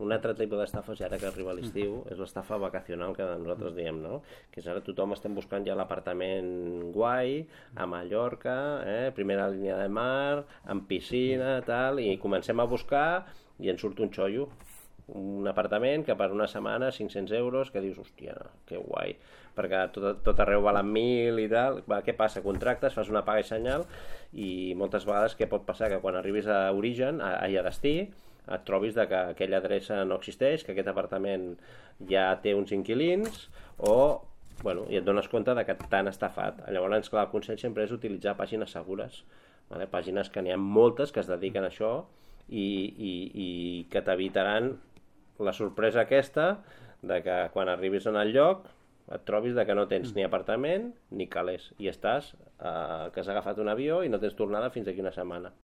un altre tipus d'estafa, ara que arriba l'estiu, és l'estafa vacacional que nosaltres diem, no? Que és ara tothom estem buscant ja l'apartament guai, a Mallorca, primera línia de mar, amb piscina, tal, i comencem a buscar i ens surt un xollo. Un apartament que per una setmana 500 euros, que dius, hòstia, que guai, perquè tot arreu valen 1.000 i tal. Què passa? Contractes, fas una paga i senyal, i moltes vegades què pot passar? Que quan arribis a origen, a destí, et trobis que aquella adreça no existeix, que aquest apartament ja té uns inquilins, i et dones compte que t'han estafat. Llavors, clar, el consell sempre és utilitzar pàgines segures, vale? Pàgines que n'hi ha moltes que es dediquen a això i que t'evitaran la sorpresa aquesta de que quan arribis en el lloc et trobis que no tens ni apartament ni calés i estàs que has agafat un avió i no tens tornada fins d'aquí una setmana.